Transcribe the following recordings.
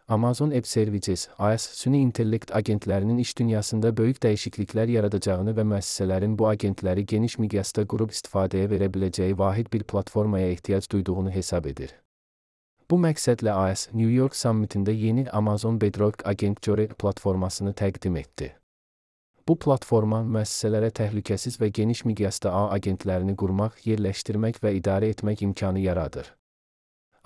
Amazon Web Services, AES, süni intellekt agentlərinin iş dünyasında böyük dəyişikliklər yaradacağını və müəssisələrin bu agentləri geniş miqyasda qurub istifadəyə verə biləcəyi vahid bir platformaya ehtiyac duyduğunu hesab edir. Bu məqsədlə AES, New York Summitində yeni Amazon Bedrock Agent Jory platformasını təqdim etdi. Bu platforma müəssisələrə təhlükəsiz və geniş miqyasda ağ agentlərini qurmaq, yerləşdirmək və idarə etmək imkanı yaradır.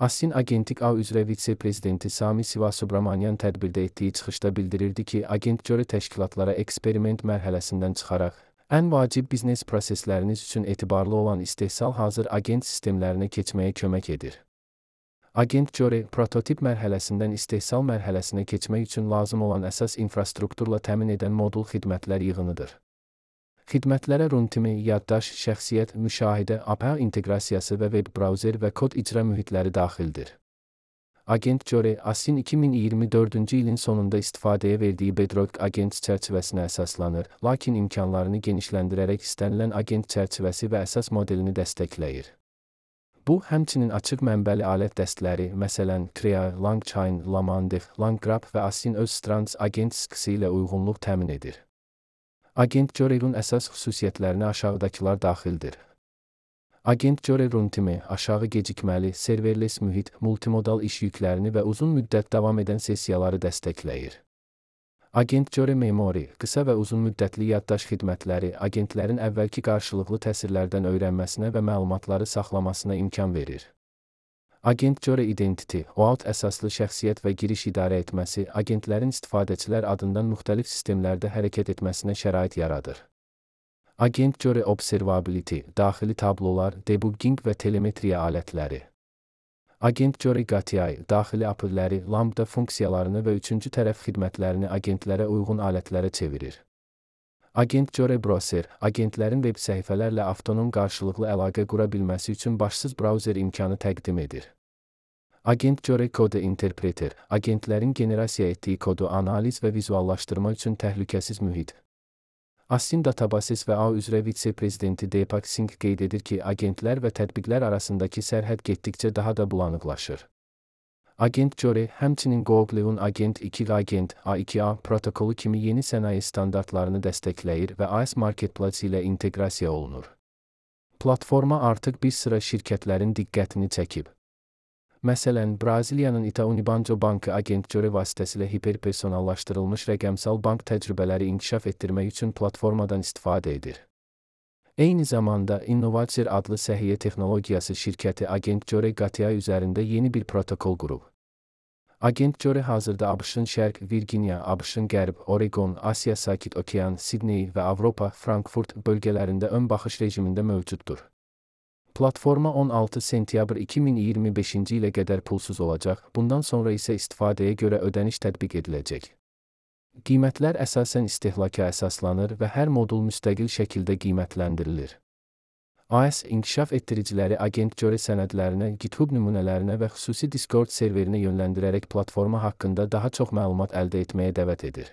ASIN Agentik ağ üzrə vitse-prezidenti Sami Sivasubramanian tədbirdə etdiyi çıxışda bildirirdi ki, Agent Jory təşkilatlara eksperiment mərhələsindən çıxaraq, ən vacib biznes prosesləriniz üçün etibarlı olan istehsal hazır agent sistemlərinə keçməyə kömək edir. Agent Jory, prototip mərhələsindən istehsal mərhələsinə keçmək üçün lazım olan əsas infrastrukturla təmin edən modul xidmətlər yığınıdır. Xidmətlərə runtimi, yaddaş, şəxsiyyət, müşahidə, API inteqrasiyası və web brauzer və kod icra mühitləri daxildir. Agent Jory, ASIN 2024-cü ilin sonunda istifadəyə verdiyi Bedrock Agents çərçivəsinə əsaslanır, lakin imkanlarını genişləndirərək istənilən agent çərçivəsi və əsas modelini dəstəkləyir. Bu, həmçinin açıq mənbəli alət dəstləri, məsələn, Crea, LangChain, Lamandef, LangGraph və ASIN öz Strands Agent sıxısı ilə uyğunluq təmin edir. Agent Jory'nin əsas xüsusiyyətlərinə aşağıdakılar daxildir. Agent Jory runtimi, aşağı gecikməli, serverless mühit, multimodal iş yüklərini və uzun müddət davam edən sessiyaları dəstəkləyir. Agent Jory Memory, qısa və uzun müddətli yaddaş xidmətləri, agentlərin əvvəlki qarşılıqlı təsirlərdən öyrənməsinə və məlumatları saxlamasına imkan verir. Agent Jory Identity, OAuth əsaslı şəxsiyyət və giriş idarə etməsi, agentlərin istifadəçilər adından müxtəlif sistemlərdə hərəkət etməsinə şərait yaradır. Agent Jory Observability, daxili tablolar, debugging və telemetriya alətləri. Agent Jory GTI, daxili API-ləri, Lambda funksiyalarını və üçüncü tərəf xidmətlərini agentlərə uyğun alətlərə çevirir. Agent Jory Browser, agentlərin web səhifələrlə avtonom qarşılıqlı əlaqə qura bilməsi üçün başsız brauzer imkanı təqdim edir. Agent Jory Code Interpreter, agentlərin generasiya etdiyi kodu analiz və vizuallaşdırma üçün təhlükəsiz mühit. ASIN Databases və ağ üzrə vitse-prezidenti Deepak Singh qeyd edir ki, agentlər və tətbiqlər arasındakı sərhəd getdikcə daha da bulanıqlaşır. Agent Jory, həmçinin Google'un Agent 2 Agent A2A protokolu kimi yeni sənaye standartlarını dəstəkləyir və AES Marketplace ilə inteqrasiya olunur. Platforma artıq bir sıra şirkətlərin diqqətini çəkib. Məsələn, Braziliyanın Itaú Unibanco bankı Agent Jory vasitəsilə hiperpersonallaşdırılmış rəqəmsal bank təcrübələri inkişaf etdirmək üçün platformadan istifadə edir. Eyni zamanda, Innovacer adlı səhiyyə texnologiyası şirkəti Agent Jory GTI üzərində yeni bir protokol qurub. Agent Jory hazırda ABŞ-ın Şərq, Virginia, ABŞ-ın Qərb, Oregon, Asiya Sakit Okean, Sidney və Avropa, Frankfurt bölgələrində ön baxış rejimində mövcuddur. Platforma 16 sentyabr 2025-ci ilə qədər pulsuz olacaq, bundan sonra isə istifadəyə görə ödəniş tətbiq ediləcək. Qiymətlər əsasən istehlaka əsaslanır və hər modul müstəqil şəkildə qiymətləndirilir. AES inkişaf etdiriciləri Agent Jory sənədlərinə, GitHub nümunələrinə və xüsusi Discord serverinə yönləndirərək platforma haqqında daha çox məlumat əldə etməyə dəvət edir.